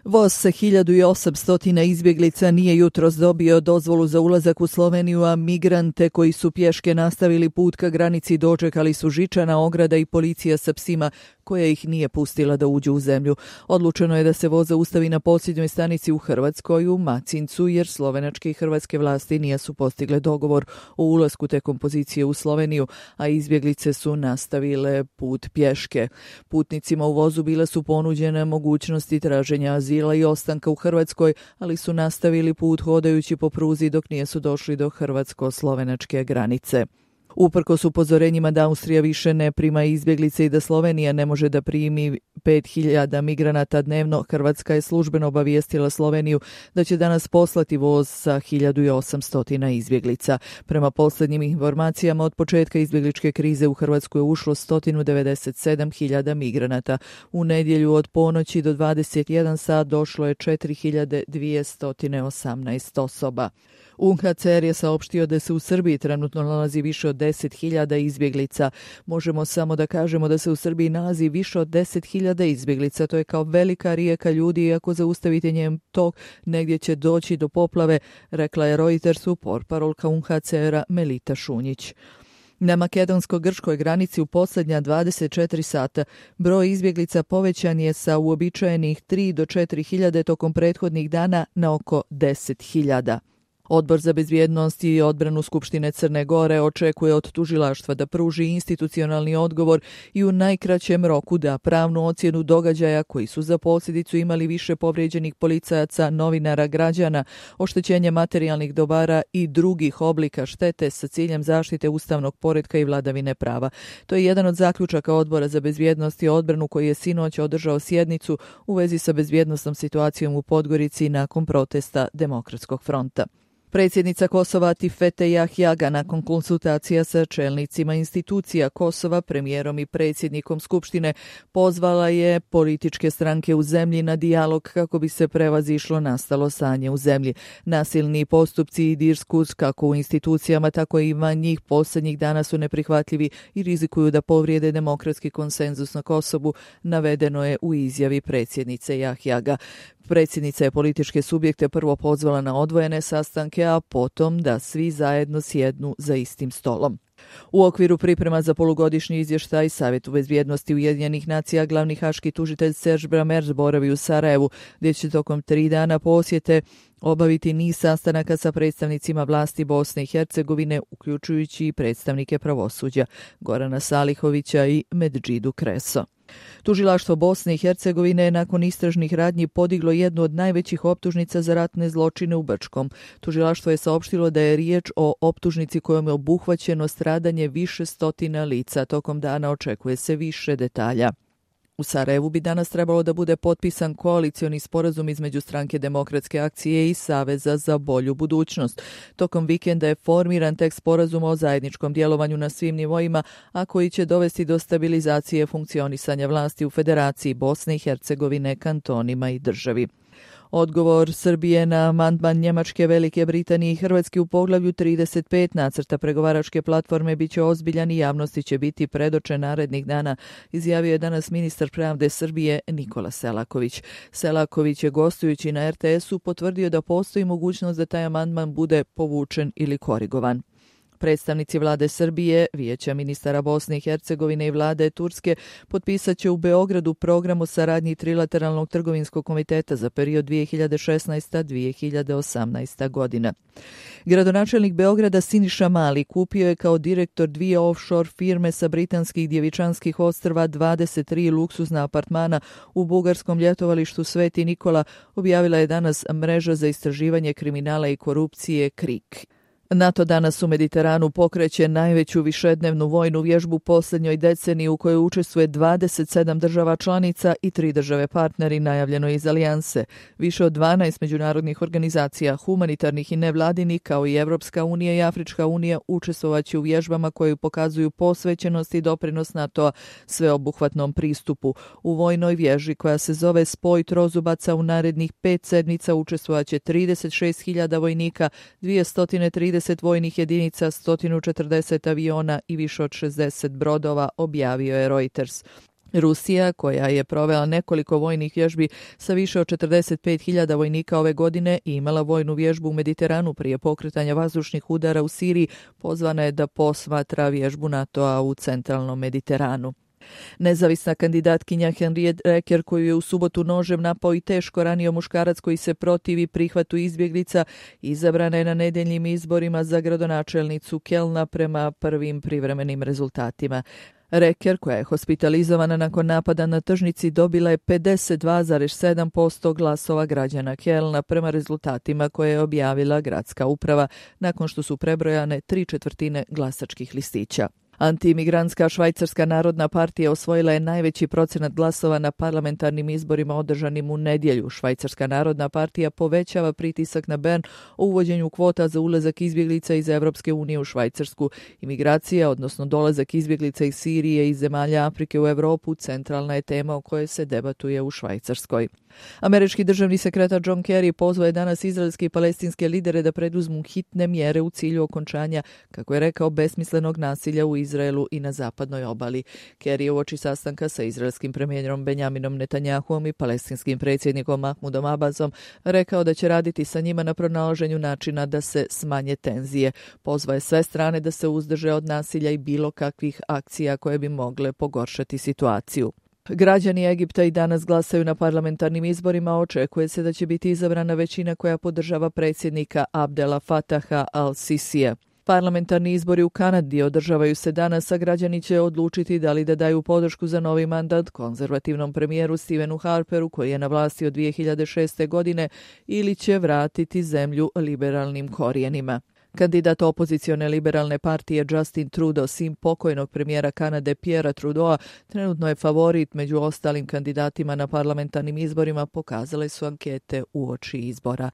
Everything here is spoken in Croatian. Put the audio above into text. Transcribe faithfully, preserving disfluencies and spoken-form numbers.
Voz sa hiljadu osamsto izbjeglica nije jutros dobio dozvolu za ulazak u Sloveniju, a migrante koji su pješke nastavili put ka granici dočekali su žičana ograda i policija sa psima koja ih nije pustila da uđu u zemlju. Odlučeno je da se voz zaustavi na posljednjoj stanici u Hrvatskoj, u Macincu, jer slovenačke i hrvatske vlasti nisu postigle dogovor o ulasku te kompozicije u Sloveniju, a izbjeglice su nastavile put pješke. Putnicima u vozu bile su ponuđene mogućnosti traženja azila i ostanka u Hrvatskoj, ali su nastavili put hodajući po pruzi dok nisu došli do hrvatsko-slovenačke granice. Uprkos upozorenjima da Austrija više ne prima izbjeglice i da Slovenija ne može da primi pet hiljada migranata dnevno, Hrvatska je službeno obavijestila Sloveniju da će danas poslati voz sa hiljadu osamsto izbjeglica. Prema posljednjim informacijama, od početka izbjegličke krize u Hrvatsku je ušlo sto devedeset sedam hiljada migranata. U nedjelju od ponoći do dvadeset jedan sat došlo je četiri hiljade dvjesto osamnaest osoba. U N H C R je saopštio da se u Srbiji trenutno nalazi više od deset hiljada izbjeglica. Možemo samo da kažemo da se u Srbiji nalazi više od deset hiljada izbjeglica. To je kao velika rijeka ljudi i ako zaustavite njen tok, negdje će doći do poplave, rekla je Reutersu portparolka U N H C R-a Melita Šunjić. Na makedonsko-grčkoj granici u posljednja dvadeset četiri sata broj izbjeglica povećan je sa uobičajenih tri do četiri hiljade tokom prethodnih dana na oko deset hiljada. Odbor za bezbjednost i odbranu Skupštine Crne Gore očekuje od tužilaštva da pruži institucionalni odgovor i u najkraćem roku da pravnu ocjenu događaja koji su za posljedicu imali više povrijeđenih policajaca, novinara, građana, oštećenje materijalnih dobara i drugih oblika štete sa ciljem zaštite ustavnog poretka i vladavine prava. To je jedan od zaključaka Odbora za bezbjednost i odbranu koji je sinoć održao sjednicu u vezi sa bezbjednosnom situacijom u Podgorici nakon protesta Demokratskog fronta. Predsjednica Kosova Tifete Jahjaga nakon konsultacija sa čelnicima institucija Kosova, premijerom i predsjednikom Skupštine pozvala je političke stranke u zemlji na dijalog kako bi se prevazišlo nastalo stanje u zemlji. Nasilni postupci i diskurs kako u institucijama tako i van njih posljednjih dana su neprihvatljivi i rizikuju da povrijede demokratski konsenzus na Kosovu, navedeno je u izjavi predsjednice Jahjaga. Predsjednica je političke subjekte prvo pozvala na odvojene sastanke, a potom da svi zajedno sjednu za istim stolom. U okviru priprema za polugodišnji izvještaj Savjetu bezbjednosti Ujedinjenih nacija glavni haški tužitelj Serge Brammertz boravi u Sarajevu, gdje će tokom tri dana posjete obaviti niz sastanaka sa predstavnicima vlasti Bosne i Hercegovine, uključujući i predstavnike pravosuđa Gorana Salihovića i Medžidu Kreso. Tužilaštvo Bosne i Hercegovine je nakon istražnih radnji podiglo jednu od najvećih optužnica za ratne zločine u Brčkom. Tužilaštvo je saopštilo da je riječ o optužnici kojom je obuhvaćeno stradanje više stotina lica. Tokom dana očekuje se više detalja. U Sarajevu bi danas trebalo da bude potpisan koalicioni sporazum između Stranke demokratske akcije i Saveza za bolju budućnost. Tokom vikenda je formiran tekst sporazuma o zajedničkom djelovanju na svim nivoima, a koji će dovesti do stabilizacije funkcionisanja vlasti u Federaciji Bosne i Hercegovine, kantonima i državi. Odgovor Srbije na amandman Njemačke, Velike Britanije i Hrvatske u poglavlju trideset pet nacrta pregovaračke platforme bit će ozbiljan i javnosti će biti predočen narednih dana, izjavio je danas ministar pravde Srbije Nikola Selaković. Selaković je gostujući na R T S-u potvrdio da postoji mogućnost da taj amandman bude povučen ili korigovan. Predstavnici vlade Srbije, Vijeća ministara Bosne i Hercegovine i vlade Turske potpisat će u Beogradu program o saradnji Trilateralnog trgovinskog komiteta za period dvije hiljade šesnaesta do dvije hiljade osamnaesta godina. Gradonačelnik Beograda Siniša Mali kupio je kao direktor dvije offshore firme sa britanskih Djevičanskih ostrva dvadeset tri luksuzna apartmana u bugarskom ljetovalištu Sveti Nikola, objavila je danas mreža za istraživanje kriminala i korupcije KRIK. NATO danas u Mediteranu pokreće najveću višednevnu vojnu vježbu posljednjoj deceniji u kojoj učestvuje dvadeset sedam država članica i tri države partneri, najavljeno iz alijanse. Više od dvanaest međunarodnih organizacija, humanitarnih i nevladinih, kao i Evropska unija i Afrička unija, učestvovaće u vježbama koje pokazuju posvećenost i doprinos NATO-a sveobuhvatnom pristupu. U vojnoj vježbi koja se zove Spoj trozubaca u narednih pet sedmica učestvovaće trideset šest hiljada vojnika, dvjesto trideset vojnih jedinica, sto četrdeset aviona i više od šezdeset brodova, objavio je Reuters. Rusija, koja je provela nekoliko vojnih vježbi sa više od četrdeset pet hiljada vojnika ove godine i imala vojnu vježbu u Mediteranu prije pokretanja vazdušnih udara u Siriji, pozvana je da posmatra vježbu NATO-a u centralnom Mediteranu. Nezavisna kandidatkinja Henriette Reker, koju je u subotu nožem napao i teško ranio muškarac koji se protivi prihvatu izbjeglica, izabrana je na nedeljnim izborima za gradonačelnicu Kelna prema prvim privremenim rezultatima. Reker, koja je hospitalizovana nakon napada na tržnici, dobila je pedeset dva zarez sedam posto glasova građana Kelna prema rezultatima koje je objavila gradska uprava nakon što su prebrojane tri četvrtine glasačkih listića. Antimigrantska Švajcarska narodna partija osvojila je najveći procenat glasova na parlamentarnim izborima održanim u nedjelju. Švajcarska narodna partija povećava pritisak na Bern o uvođenju kvota za ulazak izbjeglica iz Evropske unije u Švajcarsku. Imigracija, odnosno dolazak izbjeglica iz Sirije i zemalja Afrike u Europu, centralna je tema o kojoj se debatuje u Švajcarskoj. Američki državni sekretar John Kerry pozvao je danas izraelske i palestinske lidere da preduzmu hitne mjere u cilju okončanja, kako je rekao, besmislenog nasilja u Izraelu i na zapadnoj obali. Kerry je uoči sastanka sa izraelskim premijerom Benjaminom Netanjahuom i palestinskim predsjednikom Mahmudom Abbasom rekao da će raditi sa njima na pronalaženju načina da se smanje tenzije. Pozvao je sve strane da se uzdrže od nasilja i bilo kakvih akcija koje bi mogle pogoršati situaciju. Građani Egipta i danas glasaju na parlamentarnim izborima. Očekuje se da će biti izabrana većina koja podržava predsjednika Abdela Fataha al-Sisija. Parlamentarni izbori u Kanadi održavaju se danas, a građani će odlučiti da li da daju podršku za novi mandat konzervativnom premijeru Stevenu Harperu, koji je na vlasti od dvije hiljade šeste. godine, ili će vratiti zemlju liberalnim korijenima. Kandidat opozicione liberalne partije Justin Trudeau, sin pokojnog premijera Kanade Pierrea Trudeaua, trenutno je favorit među ostalim kandidatima na parlamentarnim izborima, pokazale su ankete uoči izbora.